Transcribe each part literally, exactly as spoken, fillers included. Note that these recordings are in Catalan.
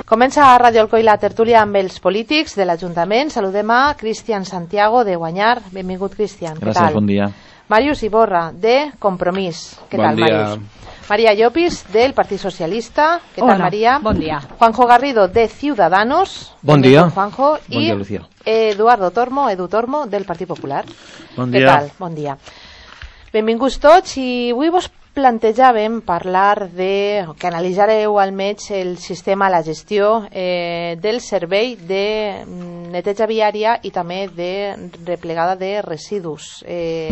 Comença a Ràdio Alcoi la tertúlia amb els polítics de l'Ajuntament. Saludem a Cristian Santiago de Guanyar. Benvingut, Cristian. Gràcies, bon dia. Màrius Iborra, de Compromís. Què bon tal, dia. Màrius? Maria Llopis, del Partit Socialista. Què Hola, tal, Maria? Bon dia. Juanjo Garrido, de Ciudadanos. Bon dia. Juanjo. Bon I dia, Lucía. Eduardo Tormo, Edu Tormo, del Partit Popular. Bon Què dia. tal? Bon dia. Benvinguts tots, i avui vos plantejàvem parlar de, que analitzareu almenys el sistema, la gestió eh, del servei de neteja viària i també de replegada de residus. Eh,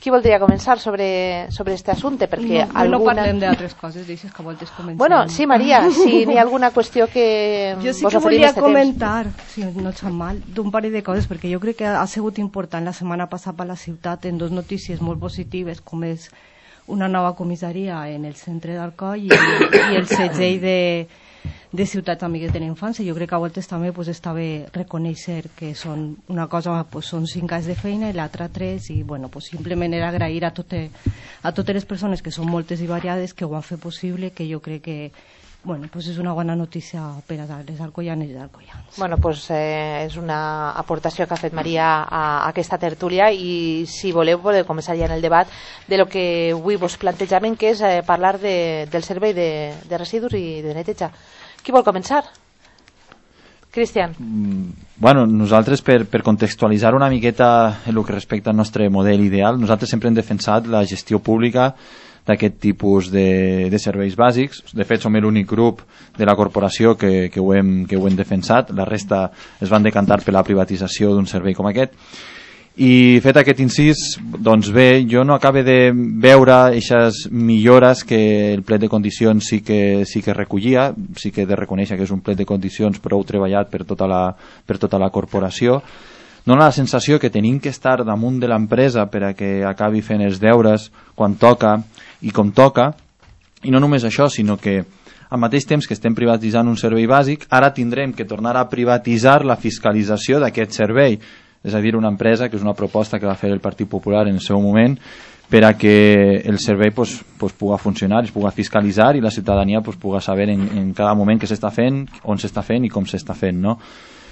qui voldria començar sobre, sobre este assumpte? Perquè no, alguna... no parlem d'altres coses, deixes que voltes començar. Bueno, sí, Maria, si n'hi ha alguna qüestió que jo sí vos que oferim volia este comentar, si no et sap mal, d'un parell de coses, perquè jo crec que ha sigut important la setmana passada per la ciutat en dues notícies molt positives, com és una nova comissaria en el centre d'Alcoi i, i el segell de, de Ciutats Amigues de la Infància. Jo crec que a voltes també pues, està bé reconèixer que són una cosa, pues, són cinc anys de feina i l'altra tres, i bueno, pues, simplement era agrair a, tote, a totes les persones, que són moltes i variades, que ho han fet possible, que jo crec que bueno, pues és una bona notícia per a les alcoianes i els alcoians. Bueno, pues eh, és una aportació que ha fet Maria a, a aquesta tertúlia, i si voleu podeu començar ja en el debat de lo que avui vos plantejàvem, que és eh, parlar de, del servei de, de residus i de neteja. Qui vol començar? Cristian. Mm, bueno, nosaltres per, per contextualitzar una miqueta en el que respecta al nostre model ideal, nosaltres sempre hem defensat la gestió pública d'aquest tipus de, de serveis bàsics. De fet, som l'únic grup de la corporació que, que, ho hem, que ho hem defensat. La resta es van decantar per la privatització d'un servei com aquest. I fet aquest incís, doncs bé, jo no acabe de veure aquestes millores que el plet de condicions sí que, sí que recollia. Sí que he de reconèixer que és un plet de condicions prou treballat per tota la, per tota la corporació. Dóna la sensació que tenim que estar damunt de l'empresa per a que acabi fent els deures quan toca i com toca, i no només això, sinó que al mateix temps que estem privatitzant un servei bàsic, ara tindrem que tornar a privatitzar la fiscalització d'aquest servei, és a dir, una empresa, que és una proposta que va fer el Partit Popular en el seu moment, per a que el servei pues, pues, pugui funcionar, es pugui fiscalitzar i la ciutadania pues, pugui saber en, en cada moment què s'està fent, on s'està fent i com s'està fent, no?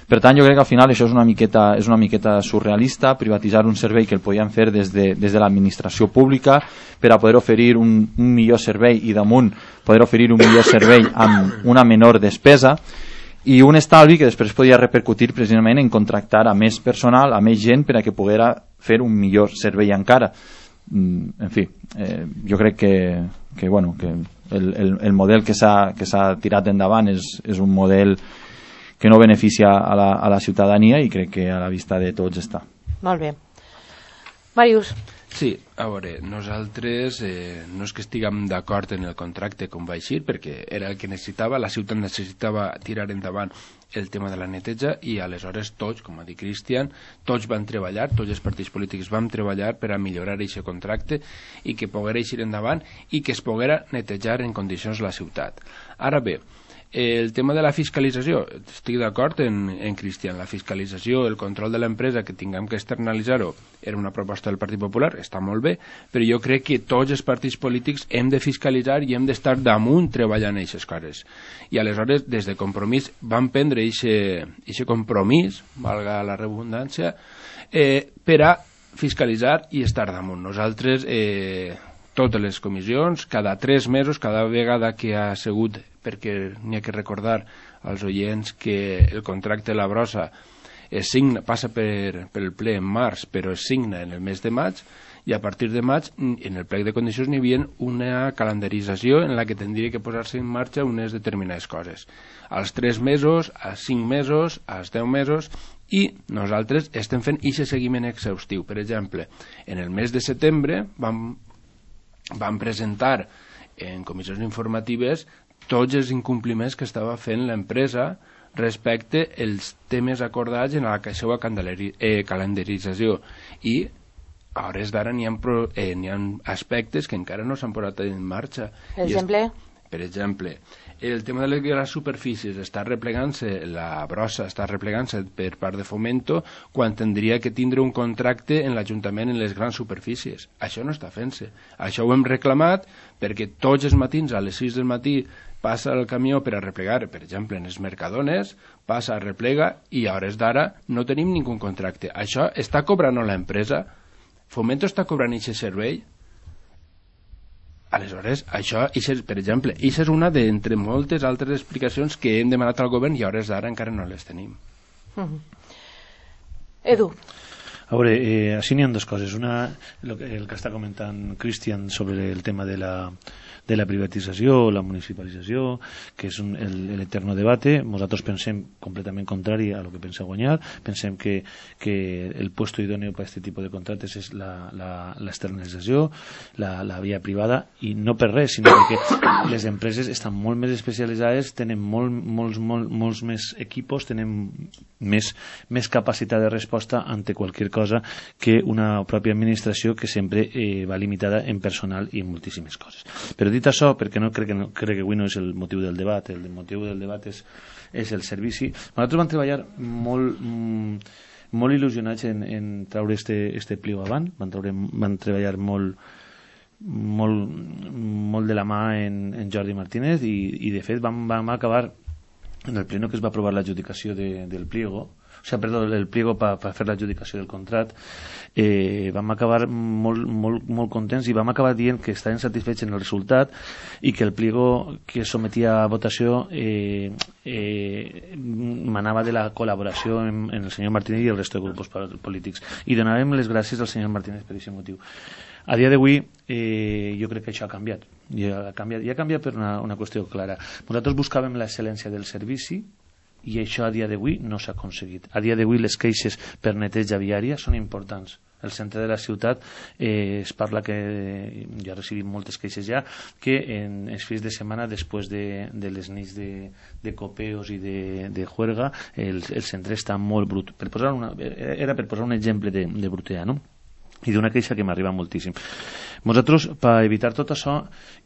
Per tant, jo crec que al final això és una miqueta, és una miqueta surrealista, privatitzar un servei que el podien fer des de, des de l'administració pública per a poder oferir un, un millor servei i damunt poder oferir un millor servei amb una menor despesa i un estalvi que després podia repercutir precisament en contractar a més personal, a més gent per a que poguera fer un millor servei encara. En fi, eh, jo crec que, que, bueno, que el, el, el model que s'ha que s'ha tirat endavant és, és un model que no beneficia a la, a la ciutadania i crec que a la vista de tots està. Molt bé. Màrius. Sí, a veure, nosaltres eh, no és que estiguem d'acord en el contracte com va eixir, perquè era el que necessitava, la ciutat necessitava tirar endavant el tema de la neteja i aleshores tots, com ha dit Cristian, tots van treballar, tots els partits polítics vam treballar per a millorar aquest contracte i que poguera eixir endavant i que es poguera netejar en condicions la ciutat. Ara bé, el tema de la fiscalització, estic d'acord en, en Cristian, la fiscalització, el control de l'empresa, que tinguem que externalitzar-ho, era una proposta del Partit Popular, està molt bé, però jo crec que tots els partits polítics hem de fiscalitzar i hem d'estar damunt treballant en aquestes coses. I aleshores, des de Compromís, vam prendre aquest compromís, valga la redundància, eh, per a fiscalitzar i estar damunt. Nosaltres, eh, totes les comissions, cada tres mesos, cada vegada que ha sigut, perquè n'hi ha que recordar als oients que el contracte de la brossa es signa, passa per, per el ple en març, però es signa en el mes de maig, i a partir de maig, en el plec de condicions, n'hi havia una calendarització en la que tindria que posar-se en marxa unes determinades coses. Als tres mesos, als cinc mesos, als deu mesos, i nosaltres estem fent aquest seguiment exhaustiu. Per exemple, en el mes de setembre vam, vam presentar en comissions informatives tots els incompliments que estava fent l'empresa respecte als temes acordats en la seva eh, calendarització, i a hores d'ara n'hi ha, eh, n'hi ha aspectes que encara no s'han posat en marxa. Per exemple? Per exemple, el tema de les grans superfícies està replegant-se, la brossa està replegant-se per part de Fomento quan tindria que tindre un contracte en l'Ajuntament en les grans superfícies. Això no està fent-se. Això ho hem reclamat perquè tots els matins a les sis del matí passa el camió per a replegar, per exemple, en els Mercadones, passa, replega, i a hores d'ara no tenim ningú contracte. Això està cobrant l'empresa? Fomento està cobrant aquest servei? Aleshores, això, per exemple, això és una d'entre moltes altres explicacions que hem demanat al govern i a hores d'ara encara no les tenim. Mm-hmm. Edu. A veure, eh, així n'hi ha dues coses. Una, el que, el que està comentant Cristian sobre el tema de la, de la privatització, la municipalització, que és un, el, el eterno debate. Nosaltres pensem completament contrari a lo que pensa Guanyar. Pensem que, que el puesto idóneo per a aquest tipus de contractes és l'externalització, la, la, la via privada, i no per res, sinó perquè les empreses estan molt més especialitzades, tenen molt, molts, molt, molts més equipos, tenen més, més capacitat de resposta ante qualsevol cosa que una pròpia administració que sempre eh, va limitada en personal i en moltíssimes coses. Però dit això, perquè no crec que, no, crec que avui no és el motiu del debat, el motiu del debat és, és el servici. Nosaltres vam treballar molt, mm, molt il·lusionats en, en treure este, este pliego avant, van, treure, van treballar molt, molt, molt de la mà en, en Jordi Martínez i, i de fet vam, vam acabar en el pleno que es va aprovar l'adjudicació de, del pliego, o sigui, perdó, el pliego per pa fer l'adjudicació del contract, eh, vam acabar molt, molt, molt contents i vam acabar dient que estaven satisfets en el resultat i que el pliego que es sometia a votació eh, eh, manava de la col·laboració en, en el senyor Martínez i el resto de grups polítics, i donàvem les gràcies al senyor Martínez per aquest motiu. A dia d'avui eh, jo crec que això ha canviat i ha canviat, i ha canviat per una, una qüestió clara. Nosaltres buscàvem l'excel·lència del servici i això a dia d'avui no s'ha aconseguit. A dia d'avui les queixes per neteja viària són importants. El centre de la ciutat eh, es parla que eh, ja recibim moltes queixes ja, que en els fins de setmana després de, de les nits de, de copeos i de, de juerga el, el centre està molt brut. Per posar una, era per posar un exemple de, de brutea, no? I d'una queixa que m'arriba moltíssim. Nosaltres, per evitar tot això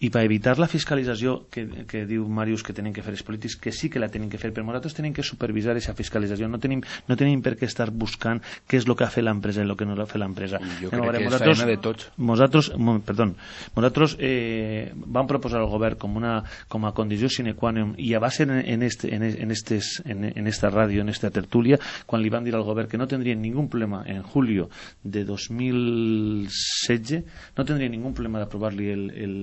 i per evitar la fiscalització que, que diu Màrius que tenen que fer els polítics, que sí que la tenen que fer, però nosaltres tenim que supervisar aquesta fiscalització, no tenim, no tenim per què estar buscant què és el que ha fet l'empresa i el que no ha fet l'empresa. Jo crec no, que és feina de tots. Nosaltres, perdó, nosaltres eh, vam proposar al govern com, una, com a condició sine qua non, i a base en, en, este, en, en, estes, en, en esta ràdio, en esta tertúlia, quan li van dir al govern que no tindrien ningú problema en julio de dos mil setze, no tindria ningú problema d'aprovar-li el, el,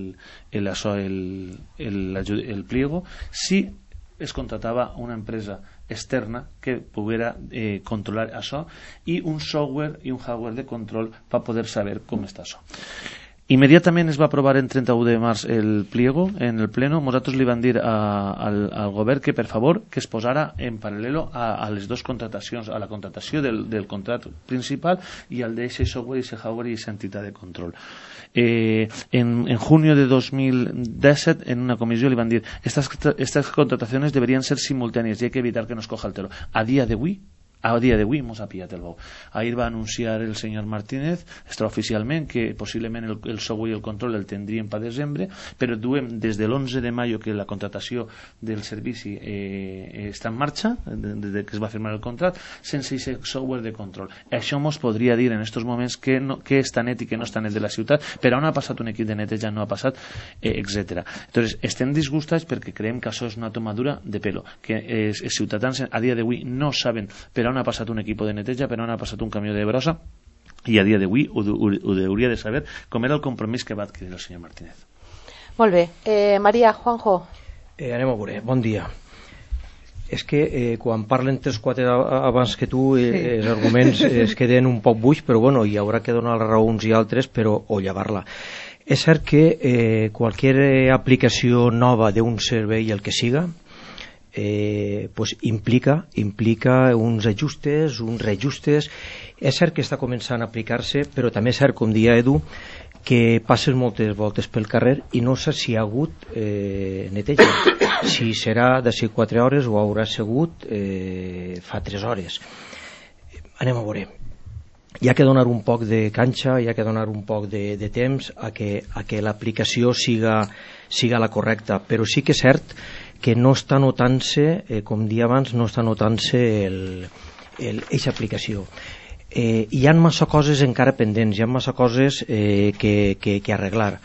el, això, el, el, el, el pliego si es contratava una empresa externa que poguera eh, controlar això i un software i un hardware de control per poder saber com està això. Immediatament es va aprovar en trenta-u de març el pliego en el pleno. Nosaltres li van dir a, al, al govern que per favor que es posara en paral·lelo a, a les dues contratacions, a la contratació del, del contracte principal i al d'aquest software i aquest hardware i aquesta entitat de control. Eh, en, en junio de dos mil disset en una comissió li van dir estas, estas contrataciones deberían ser simultáneas y hay que evitar que nos coja el telo. A día de avui A dia d'avui mos ha pillat el bou. Ahir va anunciar el senyor Martínez extraoficialment que possiblement el, el software i el control el tindríem per desembre, però duem des de l'onze de maio que la contratació del servici eh, està en marxa, des de que es va firmar el contracte, sense aquest software de control. Això mos podria dir en aquests moments que, no, que és tan net i que no és tan net de la ciutat, però on ha passat un equip de neteja, no ha passat, eh, etcètera. Entonces, estem disgustats perquè creiem que això és una tomadura de pelo, que eh, els ciutadans a dia d'avui no saben per on ha passat un equip de neteja, per on ha passat un camió de brossa, i a dia d'avui ho, ho, ho hauria de saber com era el compromís que va adquirir el senyor Martínez. Molt bé. Eh, Maria, Juanjo. Eh, anem a veure. Bon dia. És que eh, quan parlen tres quatre abans que tu eh, sí. els arguments eh, es queden un poc buix, però bueno, hi haurà que donar la raó uns i altres, però o llevar-la. És cert que eh, qualsevol aplicació nova d'un servei, el que siga, Eh, pues implica, implica uns ajustes, uns reajustes. És cert que està començant a aplicar-se, però també és cert, com dia Edu, que passes moltes voltes pel carrer i no sé si hi ha hagut eh, neteja, si serà d'ací quatre hores o haurà sigut eh, fa tres hores. Anem a veure. hi ha que donar un poc de canxa, hi ha que donar un poc de, de temps a que, a que l'aplicació siga, siga la correcta, però sí que és cert que no està notant-se, eh, com dia abans, no està notant-se aquesta aplicació. Eh, hi ha massa coses encara pendents, hi ha massa coses eh, que, que, que arreglar.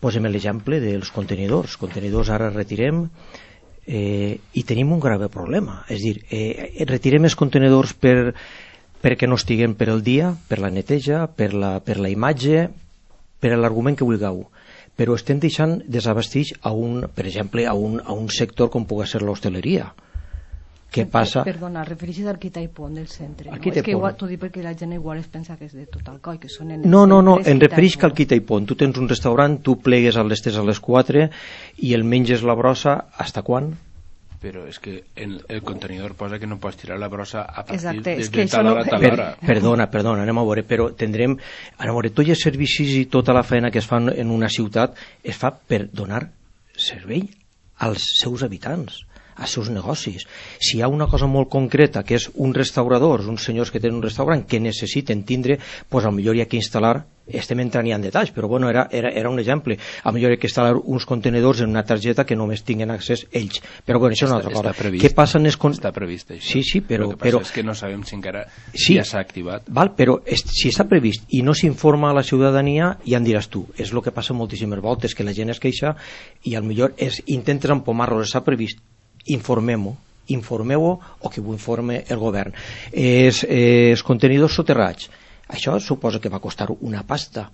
Posem l'exemple dels contenidors. Contenidors ara retirem eh, i tenim un grave problema. És a dir, eh, retirem els contenidors per, perquè no estiguem per el dia, per la neteja, per la, per la imatge, per l'argument que vulgueu. Però estem deixant desabastits a un, per exemple, a un, a un sector com pugui ser l'hostaleria. Què passa? Perdona, refereixes al quita i pont del centre. No? És que igual, t'ho dic perquè la gent igual es pensa que és de tot el coi, que són en no, no, no, em refereix que al quita i pont. Tu tens un restaurant, tu plegues a les tres a les quatre i el menges la brossa, hasta quan? Però és que el, el contenidor posa que no pots tirar la brossa a partir Exacte, de, és que de tal hora a tal hora. Per, perdona, perdona, anem a veure, però tindrem, anem a veure, tots els servicis i tota la feina que es fan en una ciutat es fa per donar servei als seus habitants, als seus negocis. Si hi ha una cosa molt concreta, que és un restaurador, uns senyors que tenen un restaurant que necessiten tindre, doncs potser hi ha que instal·lar, estem entrant ja en detalls, però bueno, era, era, era un exemple, potser hi ha que instal·lar uns contenidors en una targeta que només tinguin accés ells, però bueno, això és una altra cosa. Previst, què passa en els con... està previst això. Sí, sí, però... El que passa però... és que no sabem si encara sí, ja s'ha activat. Val, però es, si està previst i no s'informa a la ciutadania, ja en diràs tu, és el que passa moltíssimes voltes, que la gent es queixa i al millor es, intentes empomar-los, està previst, informem-ho, informeu-ho o que ho informe el govern. Els, els contenidors soterrats, això suposa que va costar una pasta,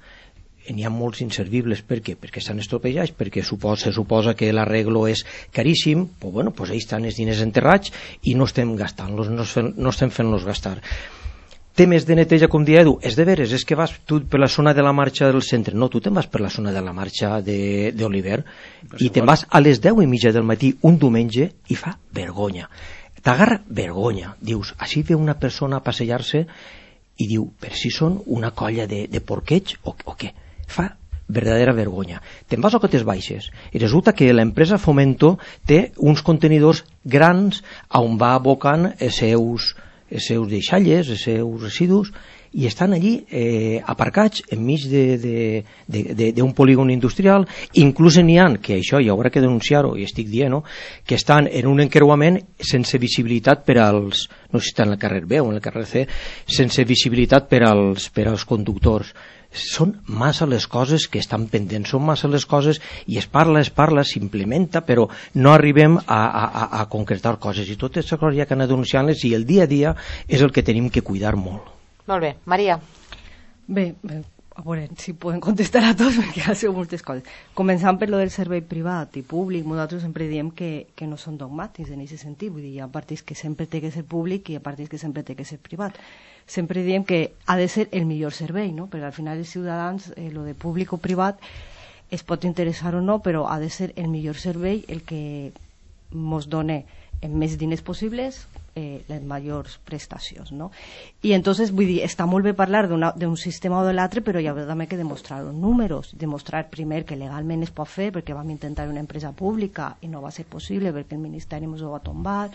n'hi ha molts inservibles. Per què? Perquè estan estropejats, perquè suposa, se suposa que l'arreglo és caríssim, però bueno, pues ahí estan els diners enterrats i no estem gastant-los, no, no estem fent-los gastar. Temes de neteja, com dia Edu, és de veres, és que vas tu per la zona de la marxa del centre, no, tu te'n vas per la zona de la marxa d'Oliver i te'n vas a les deu i mitja del matí un diumenge i fa vergonya, t'agarra vergonya, dius, així ve una persona a passejar-se i diu, per si són una colla de, de porqueig o, o què, fa verdadera vergonya. Te'n vas a cotes baixes i resulta que l'empresa Fomento té uns contenidors grans on va abocant els seus els seus deixalles, els seus residus, i estan allí eh, aparcats enmig d'un de, de, de, polígon industrial. Inclús n'hi ha, que això hi haurà que denunciar-ho, i estic dient, no? Que estan en un encreuament sense visibilitat per als, no sé si estan en el carrer B o en el carrer C, sense visibilitat per als, per als conductors. Són massa les coses que estan pendents, són massa les coses, i es parla, es parla, s'implementa, però no arribem a, a, a concretar coses, i totes les coses hi ha que anar denunciant-les, i el dia a dia és el que tenim que cuidar molt. Molt bé, Maria. Bé, bé, a veure si podem contestar a tots, perquè ha sigut moltes coses. Començant per lo del servei privat i públic, nosaltres sempre diem que, que no són dogmàtics en aquest sentit, vull dir, hi ha partits que sempre té que ser públic i hi ha partits que sempre té que ser privat. Sempre diem que ha de ser el millor servei, no? Perquè al final els ciutadans, eh, lo de públic o privat, es pot interessar o no, però ha de ser el millor servei el que ens dona en més diners possibles eh, les majors prestacions, no? I entonces, vull dir, està molt bé parlar d'un sistema o de l'altre, però hi ha també que demostrar els números, demostrar primer que legalment es pot fer, perquè vam intentar una empresa pública i no va ser possible perquè el Ministeri ens ho va tombar.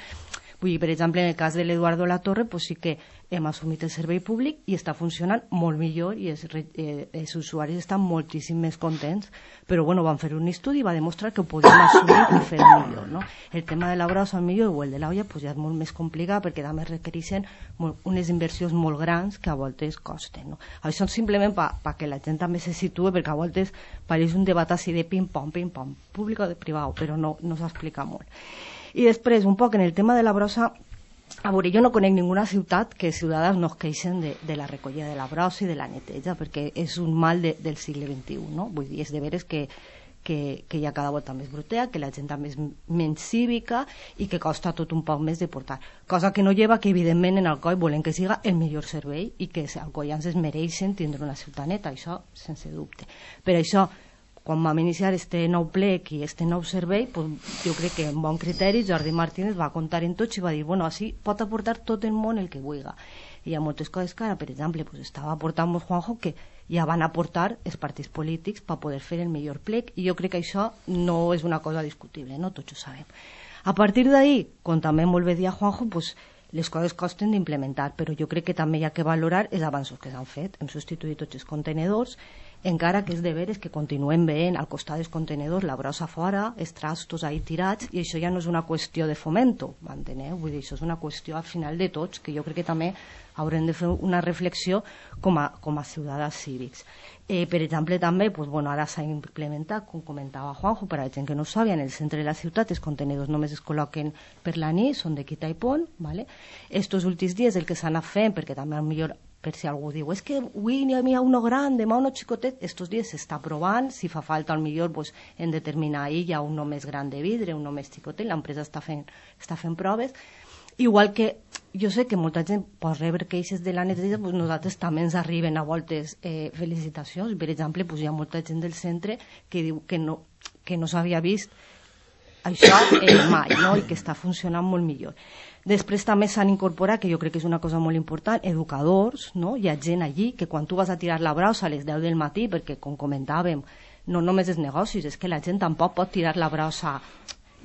Vull dir, per exemple, en el cas de l'Eduardo Latorre, pues sí que hem assumit el servei públic i està funcionant molt millor i els, eh, els usuaris estan moltíssim més contents, però bueno, van fer un estudi i va demostrar que ho podíem assumir i fer millor, no? El tema de la brossa millor o el de l'olla pues ja és molt més complicat perquè també requereixen molt, unes inversions molt grans que a voltes costen, no? Això simplement per pa que la gent també se situe, perquè a voltes pareix un debat així de pim-pam, pim-pam, públic o de privat, però no, no s'explica molt. I després, un poc en el tema de la brossa, a veure, jo no conec ninguna ciutat que els ciutadans no es queixen de, de la recollida de la brossa i de la neteja, perquè és un mal de, del segle vint-i-u, no? Vull dir, és de veres que, que, que hi ha cada volta més brutea, que la gent també és menys cívica i que costa tot un poc més de portar. Cosa que no lleva que, evidentment, en Alcoi volen que siga el millor servei i que els alcoians es mereixen tindre una ciutat neta, això sense dubte. Per això, quan vam iniciar este nou plec i este nou servei, pues, jo crec que amb bon criteri Jordi Martínez va comptar en tots i va dir, bueno, així pot aportar tot el món el que vulgui. I hi ha moltes coses que ara, per exemple, pues, estava aportant Juanjo, que ja van aportar els partits polítics per poder fer el millor plec, i jo crec que això no és una cosa discutible, no? Tots ho sabem. A partir d'ahí, com també molt bé dia Juanjo, pues, les coses costen d'implementar, però jo crec que també hi ha que valorar els avanços que s'han fet. Hem substituït tots els contenedors, encara que és de veres que continuem veient al costat dels contenedors la brossa fora, els trastos ahí tirats, i això ja no és una qüestió de fomento, m'enteneu? Vull dir, això és una qüestió al final de tots, que jo crec que també haurem de fer una reflexió com a, com a ciutadans cívics. Eh, per exemple, també, pues, bueno, ara s'ha implementat, com comentava Juanjo, per a la gent que no ho sabia, en el centre de la ciutat els contenidors només es col·loquen per la nit, són de quita i pont, ¿vale? Estos últims dies el que s'ha anat fent, perquè també millor per si algú diu, és que avui n'hi ha uno gran, demà uno xicotet, estos dies s'està provant, si fa falta al millor pues, en determinar ahir hi ha uno més gran de vidre, uno més xicotet, l'empresa està fent, està fent proves. Igual que jo sé que molta gent pot rebre queixes de la neteja, pues nosaltres també ens arriben a voltes eh, felicitacions. Per exemple, pues hi ha molta gent del centre que diu que no, que no s'havia vist això eh, mai, no? I que està funcionant molt millor. Després també s'han incorporat, que jo crec que és una cosa molt important, educadors, no? Hi ha gent allí que quan tu vas a tirar la brossa a les deu del matí, perquè com comentàvem, no només els negocis, és que la gent tampoc pot tirar la brossa,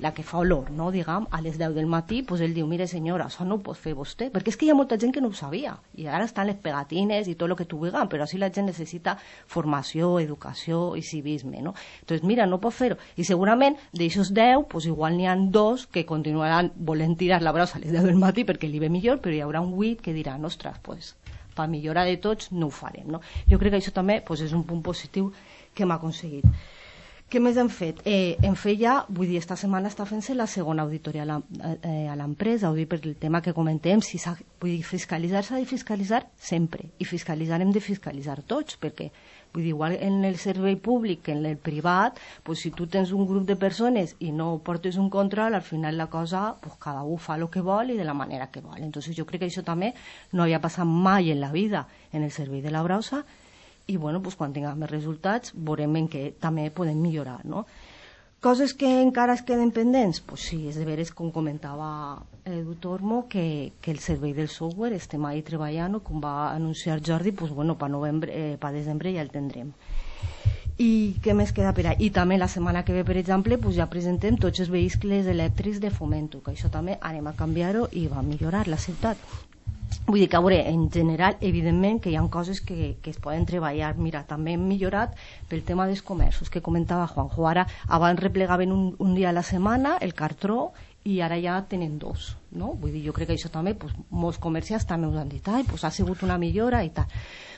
la que fa olor, no, diguem, a les deu del matí, pues ell diu, mire senyora, això no ho pot fer vostè, perquè és que hi ha molta gent que no ho sabia, i ara estan les pegatines i tot el que tu vulguis, però així la gent necessita formació, educació i civisme, no? Entonces, mira, no pot fer-ho, i segurament d'aixòs deu, pues igual n'hi ha dos que continuaran volent tirar la brossa a les deu del matí perquè li ve millor, però hi haurà un vuit que dirà, ostres, pues, per millorar de tots no ho farem, no? Jo crec que això també pues, és un punt positiu que hem aconseguit. Què més hem fet? Eh, hem fet ja, vull dir, esta setmana està fent-se la segona auditoria a l'empresa, vull dir, per el tema que comentem, si s'ha, vull dir, fiscalitzar s'ha de fiscalitzar sempre, i fiscalitzar hem de fiscalitzar tots, perquè, vull dir, igual en el servei públic que en el privat, pues, si tu tens un grup de persones i no portes un control, al final la cosa, pues, cada un fa el que vol i de la manera que vol. Entonces jo crec que això també no havia passat mai en la vida en el servei de la brossa, i bueno, pues, quan tinguem més resultats veurem en què també podem millorar, no? Coses que encara es queden pendents? Pues sí, és de veres, com comentava Edu Tormo, que, que el servei del software estem ahí treballant, com va anunciar Jordi, pues bueno, per novembre, eh, per desembre ja el tindrem. I què més queda per ahí? I també la setmana que ve, per exemple, pues ja presentem tots els vehicles elèctrics de Fomento, que això també anem a canviar-ho i va millorar la ciutat. Vull dir que, a veure, en general, evidentment que hi ha coses que, que es poden treballar. Mira, també hem millorat pel tema dels comerços, que comentava Juanjo. Ara, abans replegaven un, un dia a la setmana el cartró i ara ja tenen dos, no? Vull dir, jo crec que això també, pues, molts comerciants també us han dit, ai, pues ha sigut una millora i tal.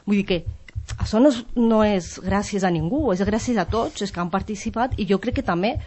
Vull dir que això no és, no és gràcies a ningú, és gràcies a tots els que han participat, i jo crec que també,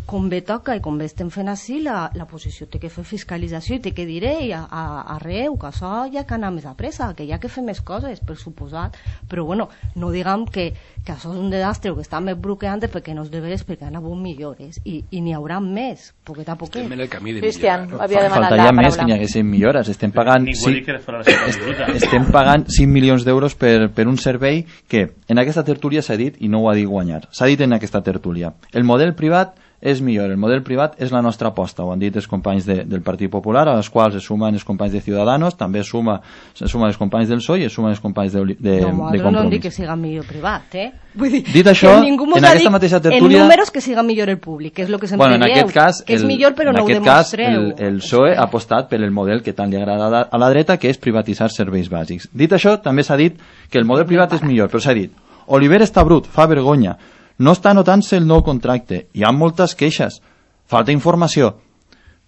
com bé toca i com bé estem fent així, la, la posició té que fer fiscalització i té que dir a, a, arreu que això hi ha que anar més a pressa, que hi ha que fer més coses, per suposat, però bueno, no diguem que, que això és un desastre o que està més bloqueant perquè no és de veres, perquè han hagut millores i, i n'hi haurà més, poquet a poquet. Estem en el camí de Cristian, millorar, no? havia demanat la Faltaria paraula. més que n'hi haguessin millores. Estem pagant, Ningú sí, que farà la seva estem pagant cinc milions d'euros per, per un servei que en aquesta tertúlia s'ha dit, i no ho ha dit Guanyar, s'ha dit en aquesta tertúlia, el model privat és millor, el model privat és la nostra aposta, ho han dit els companys de, del Partit Popular, a les quals es sumen els companys de Ciudadanos, també es suma, se sumen els companys del P S O E i es sumen els companys de, de, no, de Compromís. No, no dic que siga millor privat, eh? Vull dir, dit això, en aquesta mateixa tertúlia... En números que siga millor el públic, que és el que sempre bueno, en dieu, aquest cas, que és el, millor però no ho demostreu. En aquest cas, el, el P S O E ha apostat per el model que tant li agrada a la dreta, que és privatitzar serveis bàsics. Dit això, també s'ha dit que el model privat és millor, però s'ha dit, Oliver està brut, fa vergonya, no està notant-se el nou contracte, hi ha moltes queixes, falta informació.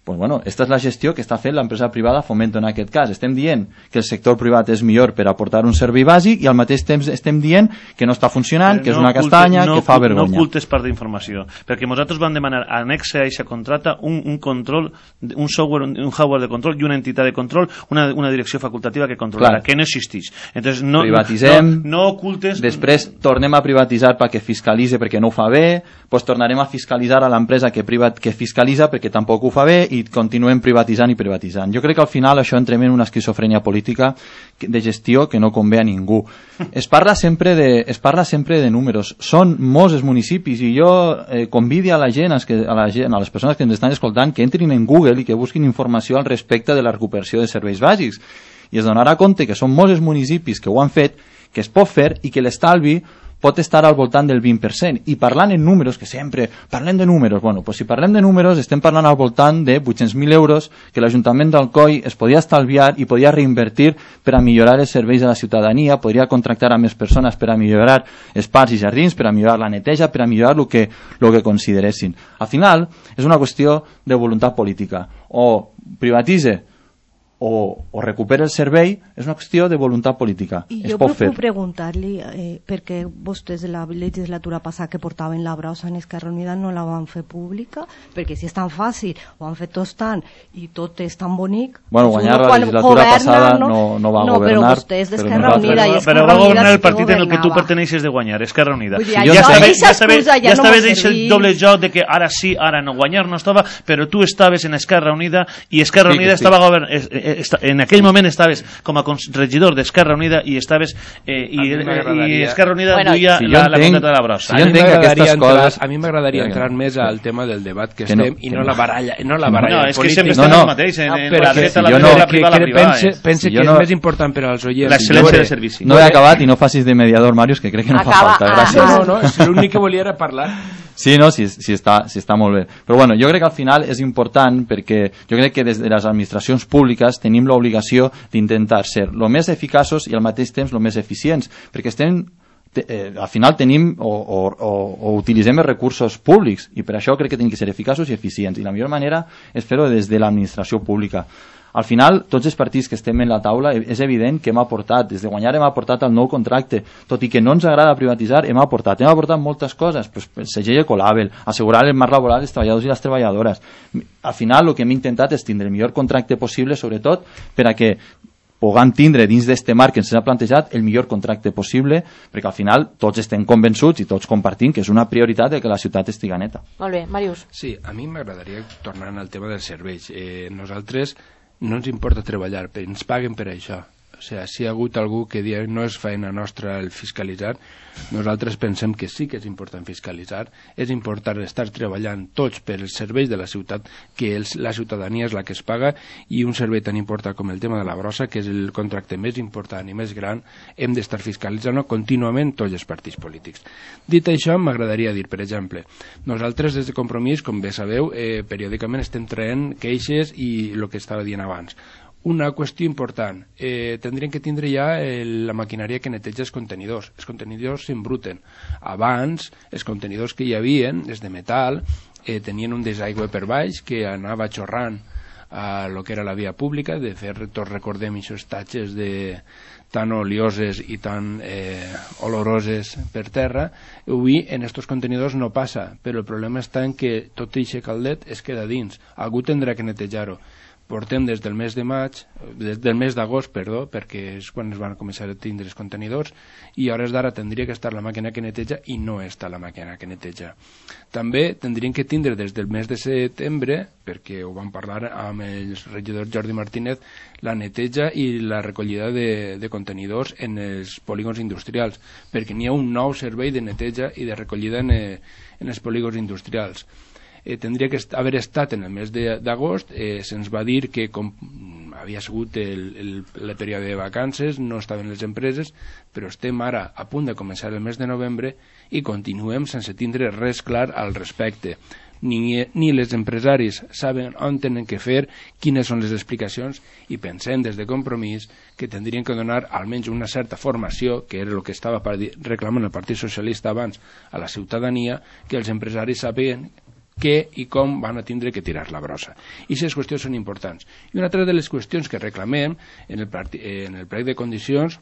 Pues bueno, esta és la gestió que està fent l'empresa privada Fomento en aquest cas. Estem dient que el sector privat és millor per aportar un servei bàsic i al mateix temps estem dient que no està funcionant, Però que és no una oculte, castanya, no, que fa vergonya. No ocultes part d'informació, perquè nosaltres vam demanar anexe a aquesta contrata un, un control, un software, un, un hardware de control i una entitat de control, una, una direcció facultativa que controlarà, Clar. que no existeix. Entonces, no, Privatitzem, no, no ocultes... després tornem a privatitzar perquè fiscalitze perquè no ho fa bé, pues tornarem a fiscalitzar a l'empresa que, privat, que fiscalitza perquè tampoc ho fa bé i continuem privatitzant i privatitzant. Jo crec que al final això entrem en una esquizofrènia política de gestió que no convé a ningú. Es parla sempre de, es parla sempre de números. Són molts els municipis i jo eh, convido a la gent, que, a la gent, a les persones que ens estan escoltant, que entrin en Google i que busquin informació al respecte de la recuperació de serveis bàsics. I es donarà compte que són molts els municipis que ho han fet, que es pot fer i que l'estalvi pot estar al voltant del vint per cent. I parlant en números, que sempre parlem de números, bueno, pues si parlem de números estem parlant al voltant de vuit-cents mil euros que l'Ajuntament d'Alcoi es podia estalviar i podia reinvertir per a millorar els serveis de la ciutadania, podria contractar a més persones per a millorar els parcs i jardins, per a millorar la neteja, per a millorar el que, lo que consideressin. Al final, és una qüestió de voluntat política. O privatitze o, o recupera el servei, és una qüestió de voluntat política. I es jo pot fer. puc preguntar-li eh, perquè vostès de la legislatura passada que portaven la brossa en Esquerra Unida no la van fer pública, perquè si és tan fàcil, ho han fet tots tant i tot és tan bonic... Bueno, guanyar la legislatura passada no, no va no, governar... No, però vostès d'Esquerra Unida i Esquerra Unida... Però va governar el partit en el que tu perteneixes de guanyar, Esquerra Unida. Dir, ja ja estava deixat el doble joc de que ara sí, ara no, guanyar no estava, però tu estaves en Esquerra Unida i Esquerra Unida sí, estava governant... En aquell moment estaves com a regidor d'Esquerra Unida i estaves eh, i, i Esquerra Unida bueno, duia si la, la contrata de la brossa. Si jo entenc que aquestes coses... A mi m'agradaria entrar més al tema del debat que, que estem no, i no, no la baralla, no la baralla no, és que sempre estem no, no. el mateix, en, en la dreta, la dreta, la privada, la privada. Pense, pense si que no, és més important per als oients. L'excel·lència del servici. No he acabat i no facis de mediador, Màrius, que crec que no Acaba, fa falta. Gràcies. No, no, no, l'únic que volia era parlar. Sí, no, sí, sí, està, sí està molt bé. Però bueno, jo crec que al final és important perquè jo crec que des de les administracions públiques tenim l'obligació d'intentar ser el més eficaços i al mateix temps el més eficients, perquè estem, eh, al final tenim o, o, o, o utilitzem els recursos públics i per això crec que tenim que ser eficaços i eficients i la millor manera és fer-ho des de l'administració pública. Al final, tots els partits que estem en la taula, és evident que hem aportat, des de guanyar hem aportat el nou contracte, tot i que no ens agrada privatitzar, hem aportat, hem aportat moltes coses, pues, el segell Ecolabel, assegurar el marc laboral dels treballadors i les treballadores. Al final, el que hem intentat és tindre el millor contracte possible, sobretot per a que puguem tindre dins d'este marc que ens ha plantejat el millor contracte possible, perquè al final tots estem convençuts i tots compartim que és una prioritat de que la ciutat estigui neta. Molt bé, Màrius. Sí, a mi m'agradaria tornar al tema dels serveis. Eh, nosaltres no ens importa treballar, però ens paguen per això. O sigui, si hi ha hagut algú que dia no és feina nostra el fiscalitzar, nosaltres pensem que sí que és important fiscalitzar, és important estar treballant tots per els serveis de la ciutat, que els, la ciutadania és la que es paga, i un servei tan important com el tema de la brossa, que és el contracte més important i més gran, hem d'estar fiscalitzant contínuament tots els partits polítics. Dit això, m'agradaria dir, per exemple, nosaltres des de Compromís, com bé sabeu, eh, periòdicament estem traient queixes i el que estava dient abans. Una qüestió important, eh, tindrien que tindre ja el, la maquinària que neteja els contenidors. Els contenidors s'embruten. Abans, els contenidors que hi havia, els de metal, eh, tenien un desaigüe per baix que anava xorrant a lo que era la via pública. De fet, tots recordem aquests tatxes de tan olioses i tan eh, oloroses per terra. Avui en estos contenidors no passa, però el problema està en que tot aquest caldet es queda dins. Algú tindrà que netejar-ho. Portem des del mes de maig, des del mes d'agost, perdó, perquè és quan es van començar a tindre els contenidors, i a hores d'ara tindria que estar la màquina que neteja i no està la màquina que neteja. També tindrien que tindre des del mes de setembre, perquè ho vam parlar amb el regidor Jordi Martínez, la neteja i la recollida de, de contenidors en els polígons industrials, perquè n'hi ha un nou servei de neteja i de recollida en, en els polígons industrials. Eh, tindria que est haver estat en el mes d'agost, eh, se'ns va dir que com havia sigut el, el, el període de vacances, no estaven les empreses, però estem ara a punt de començar el mes de novembre i continuem sense tindre res clar al respecte. Ni, ni les empresaris saben on tenen que fer, quines són les explicacions, i pensem des de Compromís que tindrien que donar almenys una certa formació, que era el que estava reclamant el Partit Socialista abans a la ciutadania, que els empresaris sabien què i com van a tindre que tirar la brossa. I aquestes qüestions són importants. I una altra de les qüestions que reclamem en el, en el plec de condicions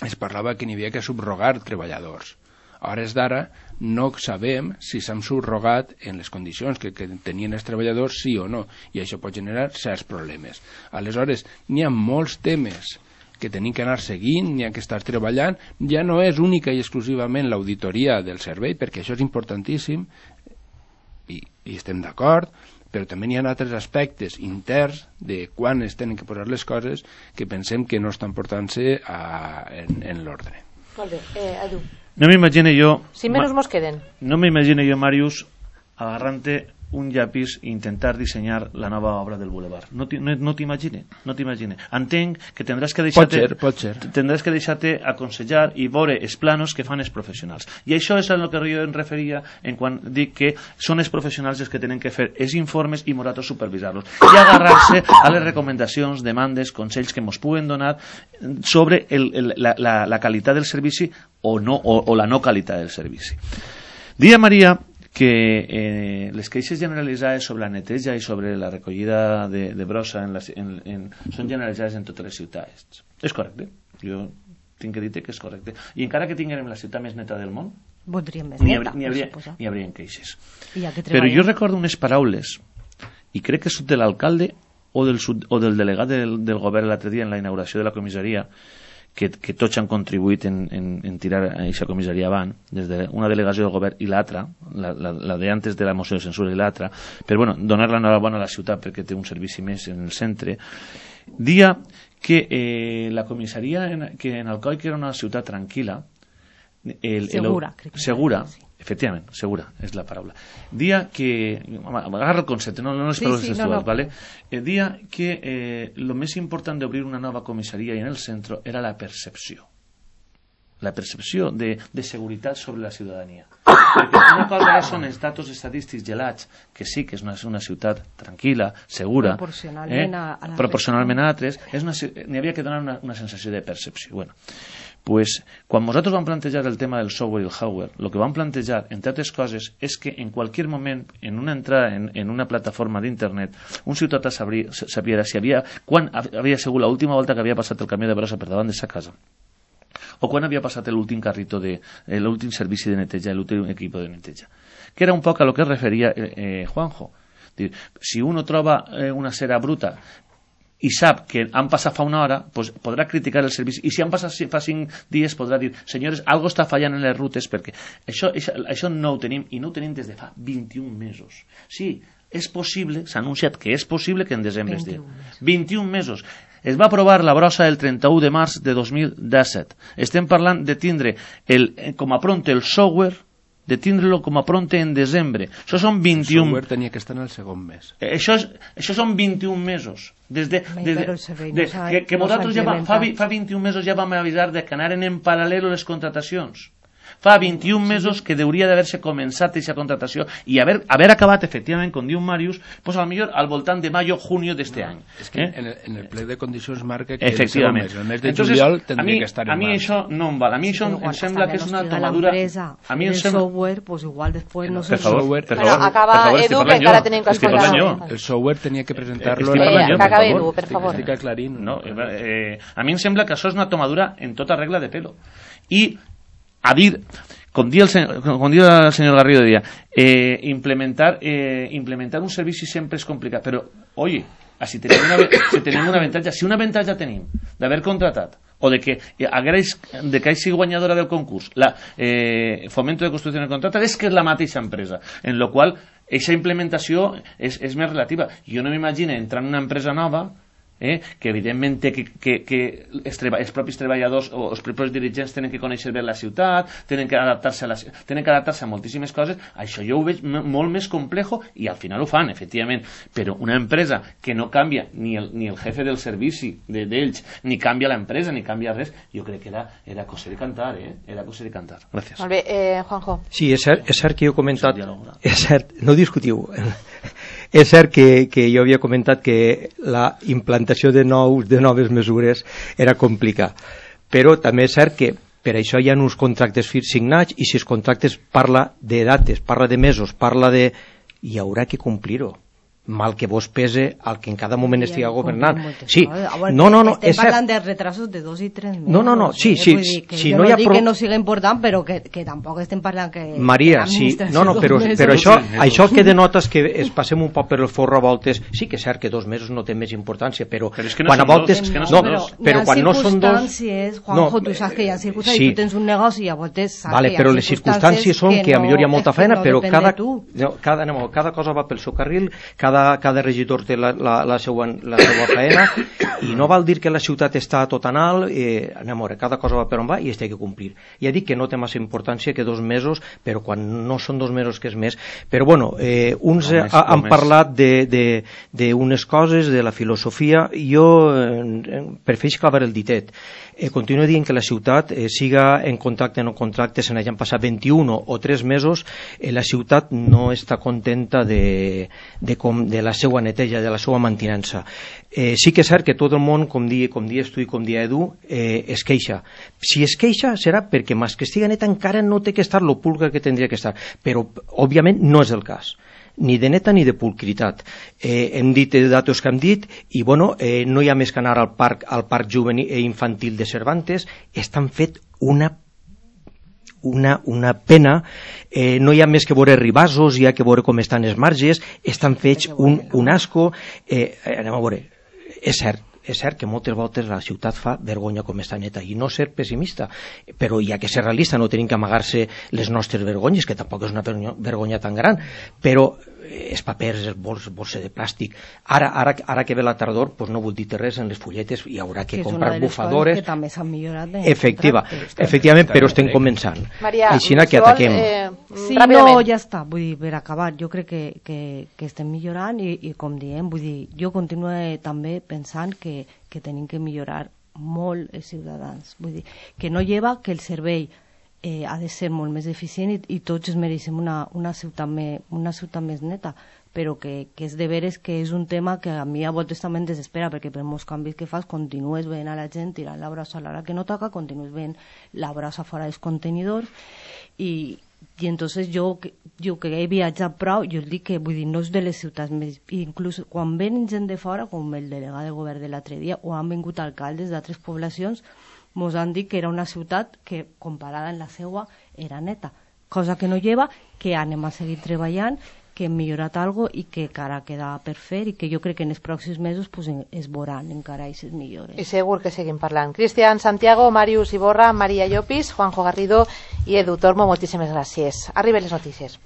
es parlava que n'hi havia que subrogar treballadors. A hores d'ara no sabem si s'han subrogat en les condicions que, que tenien els treballadors, sí o no, i això pot generar certs problemes. Aleshores, n'hi ha molts temes que tenim que anar seguint, n'hi ha que estar treballant. Ja no és única i exclusivament l'auditoria del servei, perquè això és importantíssim, i, i estem d'acord, però també hi ha altres aspectes interns de quan es tenen que posar les coses que pensem que no estan portant-se en, en l'ordre. Molt bé, eh, Edu. No m'imagino jo... Cinc minuts mos queden. No m'imagino jo, Màrius, agarrant-te un llapis i intentar dissenyar la nova obra del boulevard. No, no, no t'imagines, no t'imagines. Entenc que tindràs que deixar-te pot ser, pot ser. tindràs que deixar-te aconsellar i veure els planos que fan els professionals. I això és el que jo em referia en quan dic que són els professionals els que tenen que fer els informes i nosaltres supervisar-los. I agarrar-se a les recomanacions, demandes, consells que ens puguen donar sobre el, el, la, la, la qualitat del servici o, no, o, o la no qualitat del servici. Dia Maria que eh, les queixes generalitzades sobre la neteja i sobre la recollida de, de brossa en la, en, en, són generalitzades en totes les ciutats. És correcte, jo tinc que dir que és correcte. I encara que tinguem la ciutat més neta del món, voldríem més n'hi neta, hauria, per n'hi hauria queixes. Ja Però jo recordo unes paraules, i crec que són de l'alcalde o del, o del delegat del, del govern l'altre dia en la inauguració de la comissaria, que, que tots han contribuït en, en, en tirar aquesta comissaria avant, des d'una delegació del govern i l'altra, la, la, la de antes de la moció de censura i l'altra, per bueno, donar l'enhorabona a la ciutat perquè té un servici més en el centre, dia que eh, la comissaria en, que en Alcoi, que era una ciutat tranquil·la, el, segura, el, segura sí. Efectivament, segura és la paraula. Dia que, agarra el concepte, no, no les paraules sí, sí, textuals, no, no. ¿Vale? El dia que eh, lo més important d'obrir una nova comissaria i en el centre era la percepció. La percepció de, de seguretat sobre la ciutadania. Perquè una cosa són els datos estadístics gelats, que sí que és una, una ciutat tranquil·la, segura, proporcionalment, eh? a, a proporcionalment a altres, n'hi havia que donar una, una sensació de percepció. Bueno, pues, quan nosaltres vam plantejar el tema del software i el hardware, el que vam plantejar, entre altres coses, és que en qualsevol moment, en una entrada en, en una plataforma d'internet, un ciutadà sabria, sabria si havia, quan havia sigut l'última volta que havia passat el camió de brossa per davant de sa casa, o quan havia passat l'últim carrito de eh, l'últim servici de neteja, l'últim equip de neteja, que era un poc a lo que es referia eh, eh, Juanjo. Dir, si uno troba eh, una cera bruta i sap que han passat fa una hora, pues podrà criticar el servici, i si han passat fa cinc dies podrà dir, senyores, algo està fallant en les rutes, perquè això, això, això no ho tenim, i no ho tenim des de fa vint-i-un mesos. Sí, és possible, s'ha anunciat que és possible que en desembre es digui. vint-i-un mesos. Es va aprovar la brossa el trenta-u de març de dos mil disset. Estem parlant de tindre el, com a pronte el software, de tindre-lo com a pronte en desembre. Això són vint-i-un... El software tenia que estar en el segon mes. Això, és, això són vint-i-un mesos. Des de, des de, de, de, que, que nosaltres ja va, fa, fa vint-i-un mesos ja vam avisar de que anaren en paral·lel les contratacions. Fa vint-i-un mesos que hauria d'haver-se començat aquesta contratació i haver, haver acabat, efectivament, com diu Màrius, pues a lo millor al voltant de mayo, junio d'este no, any. És que eh? en, el, en el ple de condicions marca que efectivament. El mes de Entonces, juliol tindria mi, que estar en a mi març. això no em val. A mi això em sembla que és una tomadura... A mi el software, pues igual després no sé... Per favor, per favor. Acaba Edu, que encara tenim que escoltar. El software tenia que presentar-lo... Que acabe Edu, per favor. Estic aclarint. No, eh, a mi em sembla que això és una tomadura en tota regla de pelo. I a dir... Com dia el, com dia el senyor Garrido dia, eh, implementar, eh, implementar un servici sempre és complicat, però, oye, si tenim una, si tenim un avantatge, si un avantatge tenim d'haver contratat, o de que agraeix, de que hagi guanyadora del concurs, la eh, Fomento de Construcció de Contrata, és que és la mateixa empresa, en la qual aquesta implementació és, és més relativa. Jo no m'imagino entrar en una empresa nova, Eh, que evidentment que, que, que els, treba, els propis treballadors o els propis dirigents tenen que conèixer bé la ciutat, tenen que adaptar-se a, la, tenen que adaptar-se a moltíssimes coses. Això jo ho veig molt més complejo i al final ho fan, efectivament, però una empresa que no canvia ni el, ni el jefe del servici d'ells, de, ni canvia l'empresa, ni canvia res, jo crec que era, era cosa de cantar, eh? Era cosa de cantar. Gràcies. Molt bé, eh, Juanjo. Sí, és cert, és cert que jo he comentat... És cert, no discutiu. És cert que, que jo havia comentat que la implantació de, nous, de noves mesures era complicat, però també és cert que per això hi ha uns contractes signats i si els contractes parla de dates, parla de mesos, parla de... hi haurà que complir-ho. Mal que vos pese al que en cada moment estiga governant. Sí, no, no, no, estem parlant de retrasos de dos i tres mesos. No, no, no, sí, sí, si no hi ha... No dic que no sigui important, però que, que tampoc estem parlant que... Maria, sí, no, no, però, però això, això que denota és que es passem un poc per el forro a voltes, sí que és cert que dos mesos no té més importància, però, però és que no quan a voltes... Dos, no, no, però quan no són dos... Juanjo, tu saps que hi ha circumstàncies, tu tens un negoci i a voltes saps vale, que hi ha però les circumstàncies són que a millor hi ha molta feina, però cada, no, cada, cada cosa va pel seu carril, cada cada, cada regidor té la, la, la, seva, la seva feina, i no val dir que la ciutat està tot en alt, eh, anem a veure, cada cosa va per on va i es té que complir. Ja dic que no té massa importància que dos mesos, però quan no són dos mesos que és més. Però bueno, eh, uns no, més, ha, han parlat d'unes coses, de la filosofia. Jo eh, prefereixo clavar el ditet. Eh, continuo dient que la ciutat, eh, siga en contracte o no contracte, se n'hagin passat vint-i-un o tres mesos, eh, la ciutat no està contenta de, de, com, de la seva neteja, de la seva mantinença. Eh, sí que és cert que tot el món, com dia, com dia tu i com dia Edu, eh, es queixa. Si es queixa serà perquè més que estiga neta encara no té que estar lo pulcra que tindria que estar, però òbviament no és el cas, ni de neta ni de pulcritat. Eh, hem dit datos que hem dit i bueno, eh, no hi ha més que anar al parc, al parc juvenil i infantil de Cervantes. Estan fet una una, una pena, eh, no hi ha més que veure ribassos, hi ha que veure com estan els marges, estan fets un, un asco. eh, anem a veure, és cert, és cert que moltes voltes la ciutat fa vergonya com està neta, i no ser pessimista, però hi ha que ser realista, no tenim que amagar-se les nostres vergonyes, que tampoc és una vergonya tan gran, però els papers, els bols, bolses de plàstic, ara, ara, ara que ve la tardor, pues no vull dir res en les fulletes, hi haurà que, que comprar bufadores, que també s'han millorat efectiva, efectivament, però estem començant. Maria, aixina que ataquem. Eh, sí, no, ja està, vull dir, per acabar, jo crec que, que, que estem millorant i, i com diem, vull dir, jo continuo també pensant que, que tenim que millorar molt els ciutadans, vull dir, que no lleva que el servei Eh, ha de ser molt més eficient i, i tots es mereixem una, una, ciutat me, una ciutat més neta, però que, que és de veres que és un tema que a mi a voltes també em desespera, perquè per molts canvis que fas continues veient a la gent tirant la brossa a l'hora que no toca, continues veient la brossa fora dels contenidors i, i entonces jo, jo que he viatjat prou, jo dic que vull dir, no és de les ciutats més, inclús quan ven gent de fora, com el delegat del govern de l'altre dia, o han vingut alcaldes d'altres poblacions, mos han dit que era una ciutat que, comparada amb la seua, era neta. Cosa que no lleva, que anem a seguir treballant, que hem millorat alguna cosa i que encara queda per fer i que jo crec que en els pròxims mesos pues, es veuran encara aquestes millores. I segur que seguim parlant. Cristian Santiago, Màrius Iborra, Maria Llopis, Juanjo Garrido i Edu Tormo, moltíssimes gràcies. Arriben les notícies.